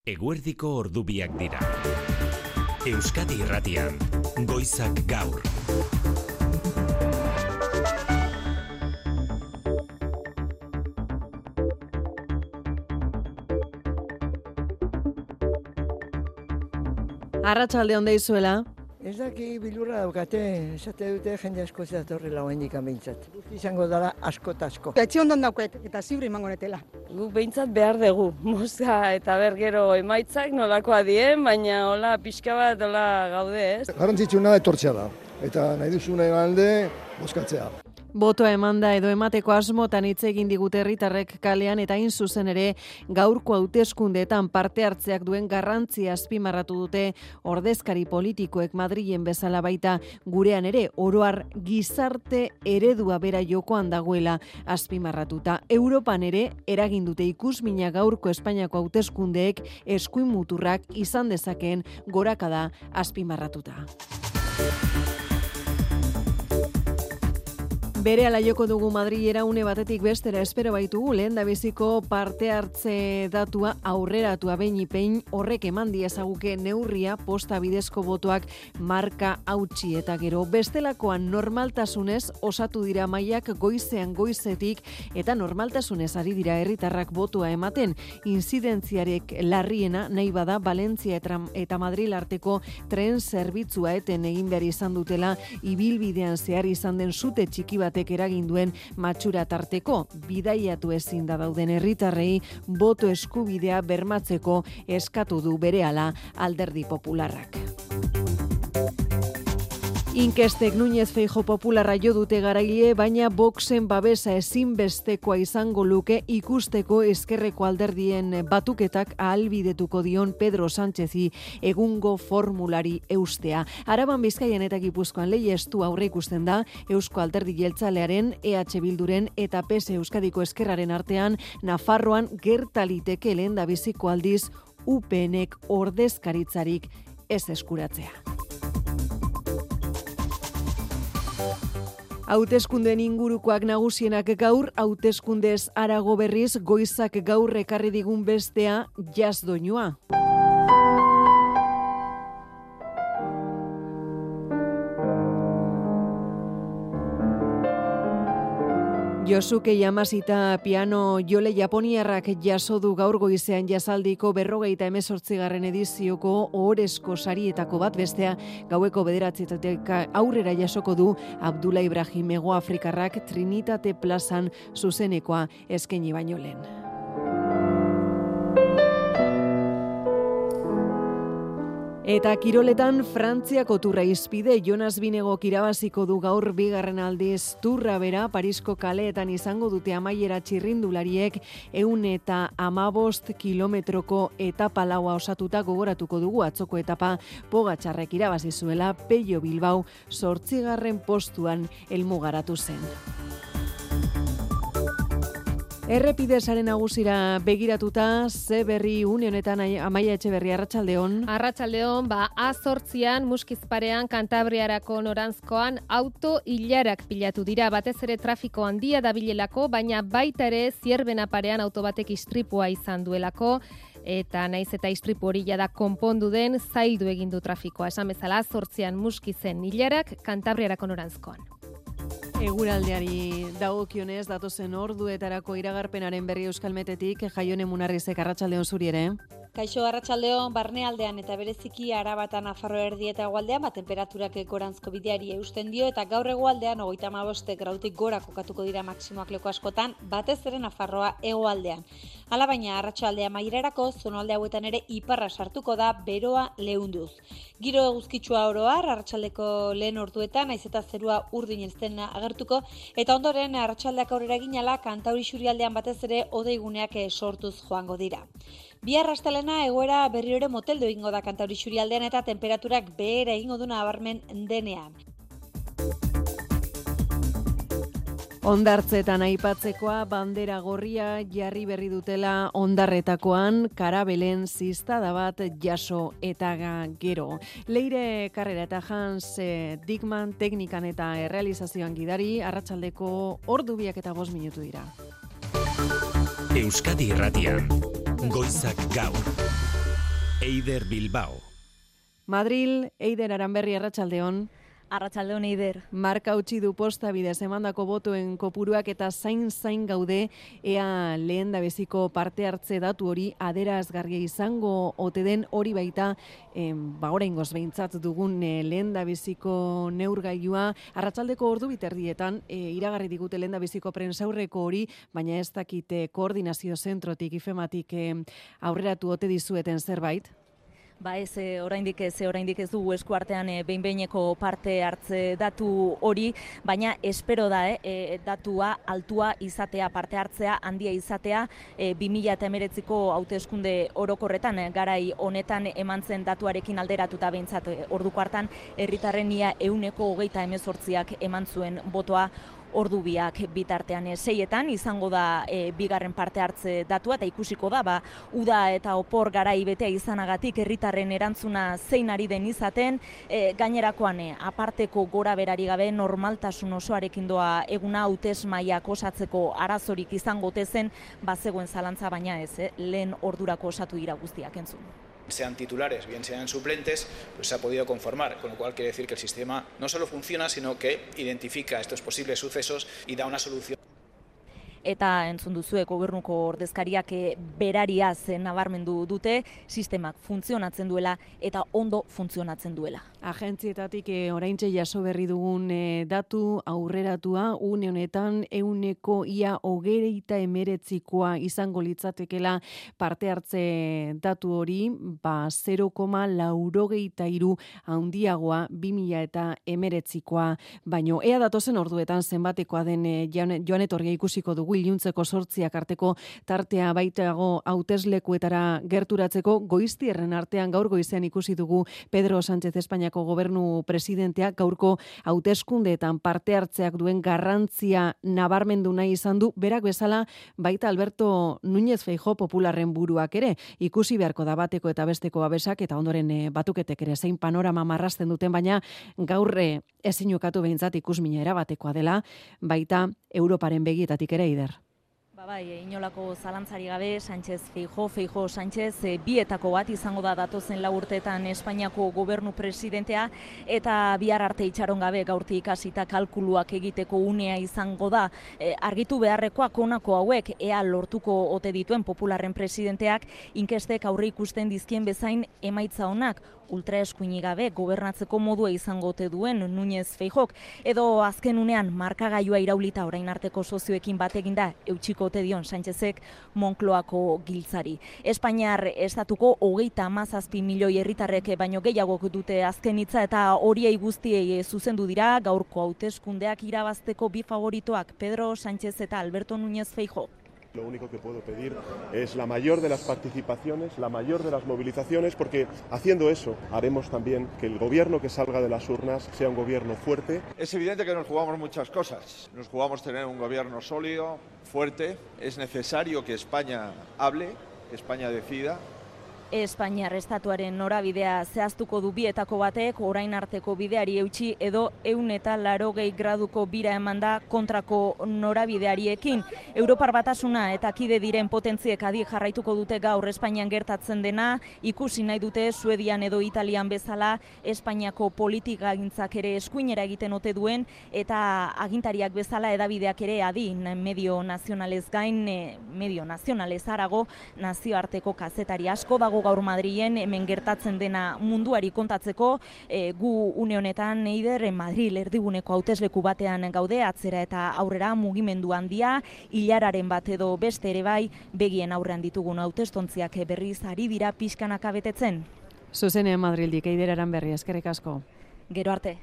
Eguerdiko ordubiak dira. Euskadi Irratian, Goizak Gaur. Arratsalde on deizuela. Ez daki bilurra daukate, esate dute jende asko zeatorrela oendik behintzat. Izango dara asko eta asko. Etxe ondan dauket eta zibre emango netela. Guk behintzat behar dugu, mozka eta bergero emaitzak nolakoa dien, baina hola pixka bat hola gaude, ez? Garrantzitsuna etortzea da, eta nahi duzune alde bozkatzea. Botoa emanda edo emateko asmotan hitz egin digute herritarrek kalean eta hain zuzen ere gaurko hauteskundeetan parte hartzeak duen garrantzia azpimarratu dute ordezkari politikoek Madrilen bezala baita gurean ere oroar gizarte eredua bera jokoan dagoela azpimarratuta. Europan ere eragin dute ikusmina gaurko Espainiako hauteskundeek eskuin muturrak izan dezakeen gorakada azpimarratuta. Berehala joko dugu Madrilera une batetik bestera espero baitugu lehendabiziko parte hartze datua aurreratua behin horrek eman diezaguke neurria posta bidezko botoak marka hautsi eta gero bestelakoan normaltasunez osatu dira mailak goizetik eta normaltasunez ari dira herritarrak botoa ematen. Inzidentziarek larriena nahi bada Valentzia eta Madril arteko tren zerbitzua eten egin behar izan dutela ibilbidean zehar izan den sute txiki bat eragin duen matxura tarteko bidaiatu ezin da dauden herritarrei boto eskubidea bermatzeko eskatu du berehala Alderdi Popularrak. Inkestek Núñez Feijóo Popularra jo dute garaile, baina Voxen babesa ezinbestekoa izango luke ikusteko ezkerreko alderdien batuketak ahalbidetuko dion Pedro Sánchezi egungo formulari eustea. Araban, Bizkaian eta Gipuzkoan leiestu aurre ikusten da Eusko Alderdi Jeltzalearen, EH Bilduren eta PS Euskadiko Ezkerraren artean Nafarroan gertaliteke lehendabiziko aldiz UPNek ordezkaritzarik ez eskuratzea. Hauteskundeen ingurukoak nagusienak gaur, hauteskundez harago berriz Goizak Gaur ekarri digun bestea jazz doinua. Yosuke Yamasita piano jole japoniarrak jaso du gaur goizean jazaldiko 58. edizioko ohorezko sarietako bat, bestea gaueko 9:00 aurrera jasoko du Abdullah Ibrahim Hegoafrikarrak Trinitate Plazan zuzenekoa eskaini baino lehen. Eta kiroletan Frantziako turra izpide Jonas Vinegok irabaziko du gaur bigarren aldiz turra bera Parisko kaleetan izango dute amaiera txirrindulariek 115 kilometroko etapa laua osatuta gogoratuko dugu atzoko etapa Pogačarrek irabazi zuela Pello Bilbao 8. postuan helmugaratu zen. Errepidesaren nagusira begiratuta, ze berri une honetan Amaia Etxeberri, arratsaldeon. Arratsaldeon, A8an Muskizparean Kantabriarako noranzkoan auto ilarak pilatu dira, batez ere trafiko handia dabilelako, baina baita ere Zierbena parean auto batek istripua izan duelako. Eta naiz eta istripu hori jada konpondu den, zaildu egin du trafikoa. Esan bezala, A8an Muskizen ilarak Kantabriarako noranzkoan. Eguraldeari dagokionez datozen orduetarako iragarpenaren berri Euskalmetetik, Jaione Munarrizek, arratsaldeon zuri ere. Kaixo, arratsaldeon, barnealdean eta bereziki Arabatan Nafarro erdi eta hegoaldean tenperaturak goranzko bideari eusten dio eta gaur hegoaldean 35 gradutik gora kokatuko dira maksimoak leku askotan, batez ere Nafarroa hegoaldean. Hala baina arratsaldea amaierarako zonalde hauetan ere iparra sartuko da beroa leunduz. Giro eguzkitsua oro har arratsaldeko lehen orduetan naiz eta zerua urdin ezten agertuko eta ondoren arratsaldeak aurrera eginala Kantauri isurialdean batez ere hodeiguneak sortuz joango dira. Bihar astelena egoera berriro ere moteldu egingo da Kantauri isurialdean eta temperaturak behera egingo du nabarmen denean. Hondartzetan aipatzekoa bandera gorria jarri berri dutela Hondarretakoan, Karabelen ziztada bat jaso eta gero. Leire Karrera eta Hans Dickman teknikan eta errealizazioan gidari, arratsaldeko 2:05 dira. Euskadi Irratian, Goizak Gaur. Eider Bilbao. Madril, Eider Aranberri, arratsaldeon. Arratsaldeon, Eider. Marka utzi du posta bidez emandako botoen kopuruak eta zain gaude ea lehendabiziko parte hartze datu hori adierazgarria izango ote den, hori baita oraingoz behintzat dugun lehendabiziko neurgailua. Arratsaldeko ordu biterdietan iragarri digute lehendabiziko prentsaurreko hori, baina ez dakite koordinazio zentrotik ifematik aurreratu ote dizueten zerbait. Ba ez, oraindik ez dugu eskuartean behin-behineko parte hartze datu hori, baina espero da datua altua izatea, parte hartzea handia izatea 2019ko hauteskunde orokorretan garai honetan eman zen datuarekin alderatuta behintzat orduko hartan herritarren ia 28%ak eman zuen botoa. Ordu biak bitartean 6etan izango da bigarren parte hartze datua eta ikusiko da uda eta opor garai betea izanagatik herritarren erantzuna zein ari den izaten, gainerakoan aparteko gora berari gabe normaltasun osoarekin doa eguna hautesmaiak osatzeko arazorik izango tezen, bazegoen zalantza baina ez, lehen ordurako osatu dira guztiak entzun. Sean titulares, bien sean suplentes, pues se ha podido conformar, con lo cual quiere decir que el sistema no solo funciona, sino que identifica estos posibles sucesos y da una solución. Eta entzun duzue gobernuko ordezkariak berariaz nabarmendu dute, sistemak funtzionatzen duela eta ondo funtzionatzen duela. Agentzietatik oraintxe jaso berri dugun datu aurreratua une honetan 29%koa izango litzatekela parte hartze datu hori, 0,83 handiagoa 2019koa, baino ea datozen orduetan zenbatekoa den joan etorria ikusiko dugu iluntzeko 8 arteko tartea baitago hauteslekuetara gerturatzeko. Goiztierren artean gaur goizean ikusi dugu Pedro Sánchez Espainiako gobernu presidentea gaurko hauteskundeetan parte hartzeak duen garrantzia nabarmendu nahi izan du, berak bezala baita Alberto Núñez Feijóo Popularren buruak ere. Ikusi beharko da bateko eta besteko babesak eta ondoren batuketek ere zein panorama marrazten duten, baina gaur ezin ukatu behintzat ikusmina erabatekoa dela, baita Europaren begietatik ere, Eider. Bai, inolako zalantzari gabe, Feijóo Sánchez, bietako bat izango da datozen 4 urteetan Espainiako gobernu presidentea, eta bihar arte itxaron gabe gaurtik hasita kalkuluak egiteko unea izango da. Argitu beharrekoak honako hauek, ea lortuko ote dituen Popularren presidenteak, inkestek aurre ikusten dizkien bezain emaitza onak, ultraeskuini gabe gobernatzeko modua izango ote duen Núñez Feijóok, edo azken unean markagailua iraulita orain arteko sozioekin bat eginda eutsiko ote dion Sánchezek Moncloako giltzari. Espainiar estatuko 37 milioi herritarrek baino gehiagok dute azken hitza eta horiei guztiei zuzendu dira gaurko hauteskundeak irabazteko bi favoritoak Pedro Sánchez eta Alberto Núñez Feijóo. Lo único que puedo pedir es la mayor de las participaciones, la mayor de las movilizaciones, porque haciendo eso haremos también que el gobierno que salga de las urnas sea un gobierno fuerte. Es evidente que nos jugamos muchas cosas. Nos jugamos tener un gobierno sólido, fuerte. Es necesario que España hable, que España decida. Espainiar estatuaren norabidea zehaztuko du bietako batek, orain arteko bideari eutsi edo 180 graduko bira eman da kontrako norabideariekin. Europar Batasuna eta kide diren potentziek adi jarraituko dute gaur Espainian gertatzen dena, ikusi nahi dute Suedian edo Italian bezala Espainiako politikagintzak ere eskuinera egiten ote duen, eta agintariak bezala edabideak ere adi medio nazionalez gain, medio nazionalez harago, nazioarteko kazetari asko dago gaur Madrilen hemen gertatzen dena munduari kontatzeko. Gu une honetan Eider Madril erdiguneko hautesleku batean gaude, atzera eta aurrera mugimendu handia, ilararen bat edo beste ere bai, begien aurrean ditugun hautestontziak berriz ari dira pixkanaka betetzen. Zuzenean Madrildik, Eider Aranberri, eskerrik asko. Gero arte.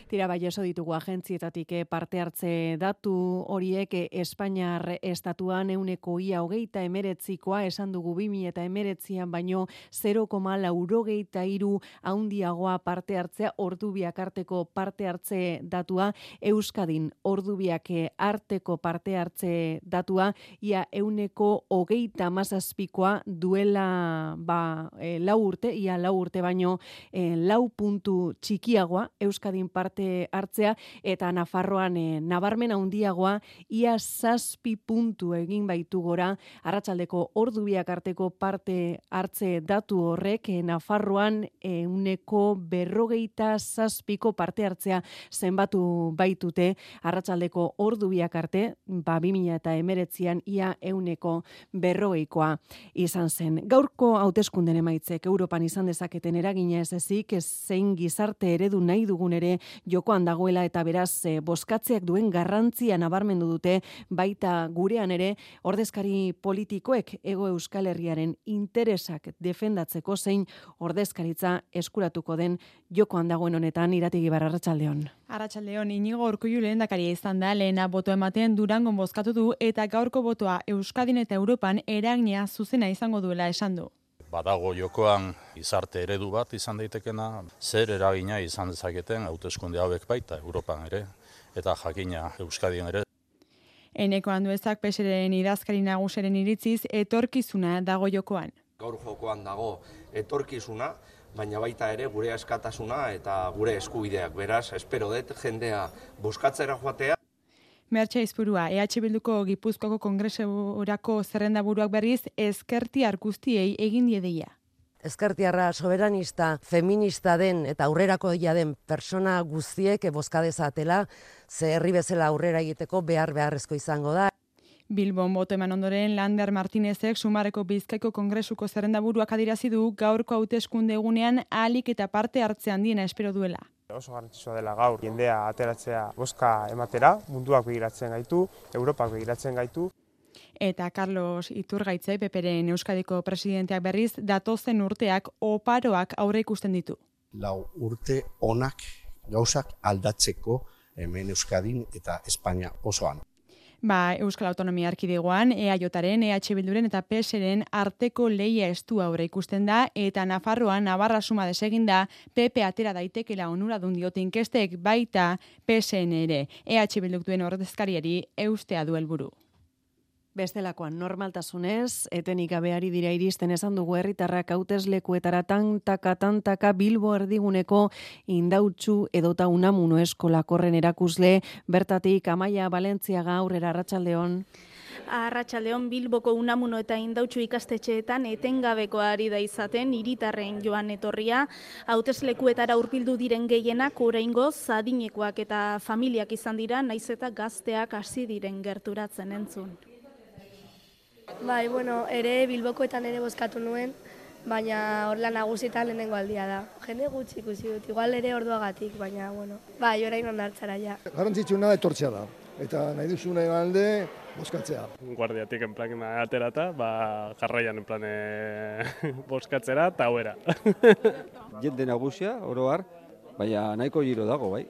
Tira bai jaso ditugu agentzietatik parte hartze datu horiek Espainiar estatuan 29%koa esan dugu 2019an baino 0,83 handiagoa parte hartzea, ordubiak arteko parte hartze datua, Euskadin ordubiak arteko parte hartze datua ia 127koa duela 4 urte, ia 4 urte baino 4 puntu txikiagoa Euskadin parte hartzea, eta Nafarroan nabarmen handiagoa, ia 7 puntu egin baitu gora, arratsaldeko ordu biak arteko parte hartze datu horrek, Nafarroan 47ko parte hartzea zenbatu baitute, arratsaldeko ordu biak arte, 2019an ia 140koa izan zen. Gaurko hauteskunden emaitzek Europan izan dezaketen eragina ez ezik, zein gizarte eredu nahi dugun ere jokoan dagoela, eta beraz bozkatzeak duen garrantzia nabarmendu dute, baita gurean ere ordezkari politikoek Hego Euskal Herriaren interesak defendatzeko zein ordezkaritza eskuratuko den jokoan dagoen honetan. Iratigi Barra, arratsaldeon. Arratsaldeon, Inigo Urkullu lehendakaria izan da, lehena boto ematen Durangon bozkatu du, eta gaurko botoa Euskadin eta Europan eragina zuzena izango duela esan du. Badago jokoan gizarte eredu bat izan daitekena, zer eragina izan dezaketen hauteskunde hauek baita Europan ere, eta jakina Euskadin ere. Eneko Anduezak PSren idazkari nagusiaren iritziz etorkizuna dago jokoan. Gaur jokoan dago etorkizuna, baina baita ere gure askatasuna eta gure eskubideak. Beraz, espero dut jendea bozkatzera joatea. Mertxe Aizpurua, EH Bilduko Gipuzkoako Kongresurako zerrendaburuak berriz ezkertiar guztiei egin die deia. Ezkertiarra soberanista, feminista den eta aurrerakoia den persona guztiek bozka dezatela, ze herri bezala aurrera egiteko beharrezko izango da. Bilbon boto eman ondoren Lander Martinezek Sumarreko Bizkaiko Kongresuko zerrendaburuak adierazi du gaurko hauteskunde egunean ahalik eta parte hartze handiena espero duela. Oso garrantzitsua dela gaur jendea ateratzea bozka ematera, munduak begiratzen gaitu, Europak begiratzen gaitu. Eta Carlos Iturgaitzai, PPren Euskadiko presidenteak berriz, datozen urteak oparoak aurre ikusten ditu. 4 urte onak gauzak aldatzeko hemen Euskadin eta Espainia osoan. Euskal Autonomia Erkidegoan, EAJaren, EH Bilduren eta PSren arteko lehia estu aurre ikusten da, eta Nafarroan Navarra suma desegin da, PP atera daitekela onuradun diote inkestek, baita PSN ere. EH Bilduk duen ordezkariari eustea du helburu. Bestelakoan normaltasunez, etenik gabeari dira iristen esan dugu herritarrak hauteslekuetara tantaka Bilbo erdiguneko Indautxu edota Unamuno eskola korren erakusle, bertatik Amaia Valentziaga, aurrera, arratsaldeon. Arratsaldeon, Bilboko Unamuno eta Indautxu ikastetxeetan etengabeko ari da izaten hiritarren joan etorria, hauteslekuetara hurbildu diren gehienak oraingoz adinekoak eta familiak izan dira, naiz eta gazteak hasi diren gerturatzen entzun. Ere Bilbokoetan ere bozkatu nuen, baina horla nagusietan lehenengo aldia da. Jende gutxi ikusi dut, igual ere orduagatik, baina, orain ondartzara ja. Garrantzitsuna etortzea da, eta nahi duzune alde bozkatzea. Guardiatik enplan aterata, jarraian enplan bozkatzera eta hauera. Jende nagusia, oro har, baina nahiko giro dago, bai.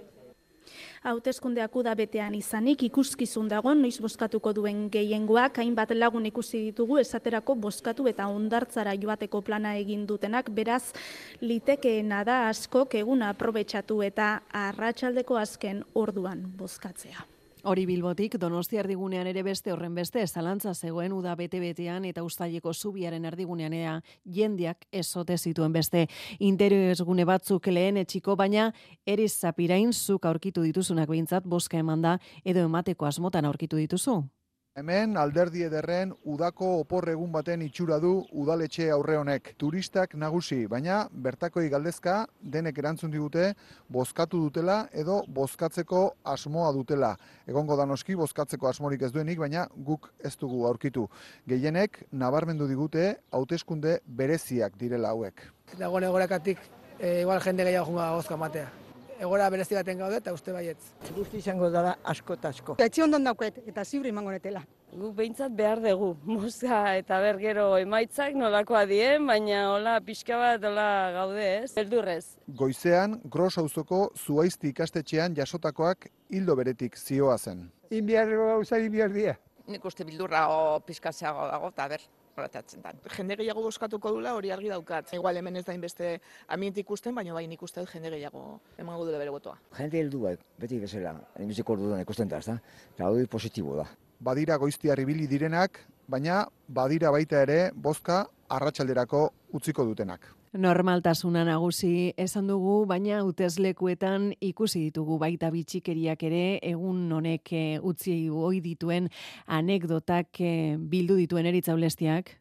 Hauteskundeak uda betean izanik ikuskizun dago noiz bozkatuko duen gehiengoak, hainbat lagun ikusi ditugu esaterako bozkatu eta hondartzara joateko plana egin dutenak, beraz litekeena da askok eguna aprobetxatu eta arratsaldeko azken orduan bozkatzea. Hori Bilbotik, Donostia erdigunean ere beste horren beste, zalantza zegoen uda bete-betean eta Uztaileko zubiaren erdigunean jendeak ezote zituen beste interesgune batzuk lehen etxiko, baina Eriz Zapirain zuk aurkitu dituzunak behintzat bozka emanda edo emateko asmotan aurkitu dituzu? Hemen alderdi ederren udako oporregun baten itxura du udaletxe aurre honek. Turistak nagusi, baina bertakoi galdezka denek erantzun digute bozkatu dutela edo bozkatzeko asmoa dutela. Egongo da noski bozkatzeko asmorik ez duenik, baina guk ez dugu aurkitu. Gehienek nabarmendu digute hauteskunde bereziak direla hauek. Dagoen egorakatik igual jende gehiago junga bozka matea. Egora berezi baten gaude eta uste baietz. Guzti izango dara asko eta asko. Etxe ondon dauket eta zibre emango netela. Guk behintzat behar dugu, mozka eta gero emaitzak nolakoa dien, baina hola pixka bat hola gaude ez, beldurrez. Goizean, Gros auzoko Zuaizti ikastetxean jasotakoak hildo beretik zioa zen. Inbiarro gauza inbiardia. Nik uste bildurra o pizkatzeago dago, eta horretatzen da. Jende gehiago bozkatuko dula hori argi daukat. Igual hemen ez da inbeste ambiente ikusten, baina bai nik uste dut jende gehiago emango dela bere botoa. Jende heldu bat, beti bezala, enbiziko orduan ikusten da, eta hori positibo da. Badira Goiztiar ibili direnak, baina badira baita ere bozka arratsalderako utziko dutenak. Normaltasuna nagusi esan dugu, baina hauteslekuetan ikusi ditugu baita bitxikeriak ere, egun honek utzi ohi dituen anekdotak bildu dituen Eritza Ulestiak.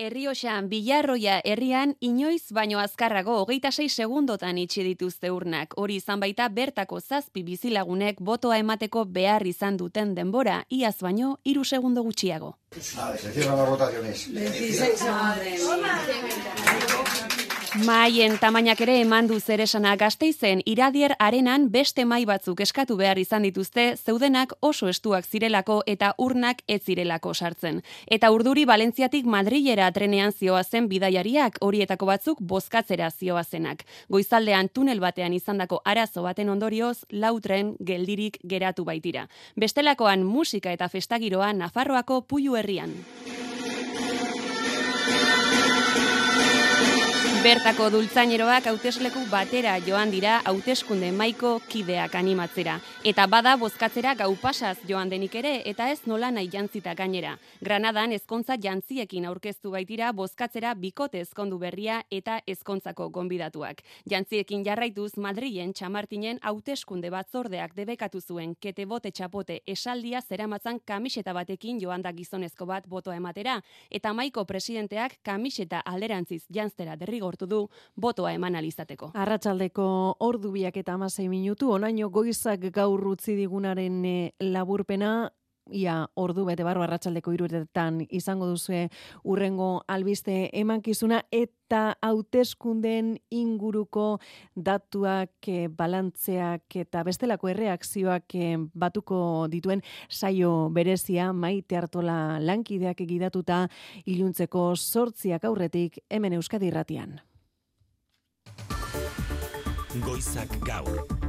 Errioxan, Bilarroia herrian inoiz baino azkarrago 26 segundotan itxi dituzte urnak. Hori izan baita bertako 7 bizilagunek botoa emateko behar izan duten denbora, iaz baino 3 segundo gutxiago. Vale, se cierran las votaciones. 26 Maien tamainak ere eman du zeresana. Gasteizen Iradier Arenan beste mai batzuk eskatu behar izan dituzte, zeudenak oso estuak zirelako eta urnak ez zirelako sartzen. Eta urduri Valentziatik Madrilera trenean zioazen bidaiariak, horietako batzuk bozkatzera zioazenak. Goizaldean tunel batean izandako arazo baten ondorioz, 4 tren geldirik geratu baitira. Bestelakoan musika eta festagiroa Nafarroako Puiu herrian. Bertako dultzaineroak hautesleku batera joan dira hauteskunde mahaiko kideak animatzera. Eta bada bozkatzera gau pasaz joan denik ere, eta ez nola nahi jantzita gainera. Granadan ezkontza jantziekin aurkeztu baitira bozkatzera bikote ezkondu berria eta ezkontzako gonbidatuak. Jantziekin jarraituz Madrilen Txamartinen hauteskunde batzordeak debekatu zuen kete bote txapote esaldia zeramatzan kamiseta batekin joan da gizonezko bat botoa ematera, eta mahaiko presidenteak kamiseta alderantziz jantzera derrigortu du botoa eman alizateko. Arratsaldeko 2:16, onaino goizak gaur utzi digunaren laburpena, ia ordu bete barru arratsaldeko 3:00 izango duzue urrengo albiste emankizuna eta hauteskundeen inguruko datuak, balantzeak eta bestelako erreakzioak batuko dituen saio berezia Maite Artola lankideak gidatuta iluntzeko 8 aurretik hemen Euskadi Irratian. Goizak gaur.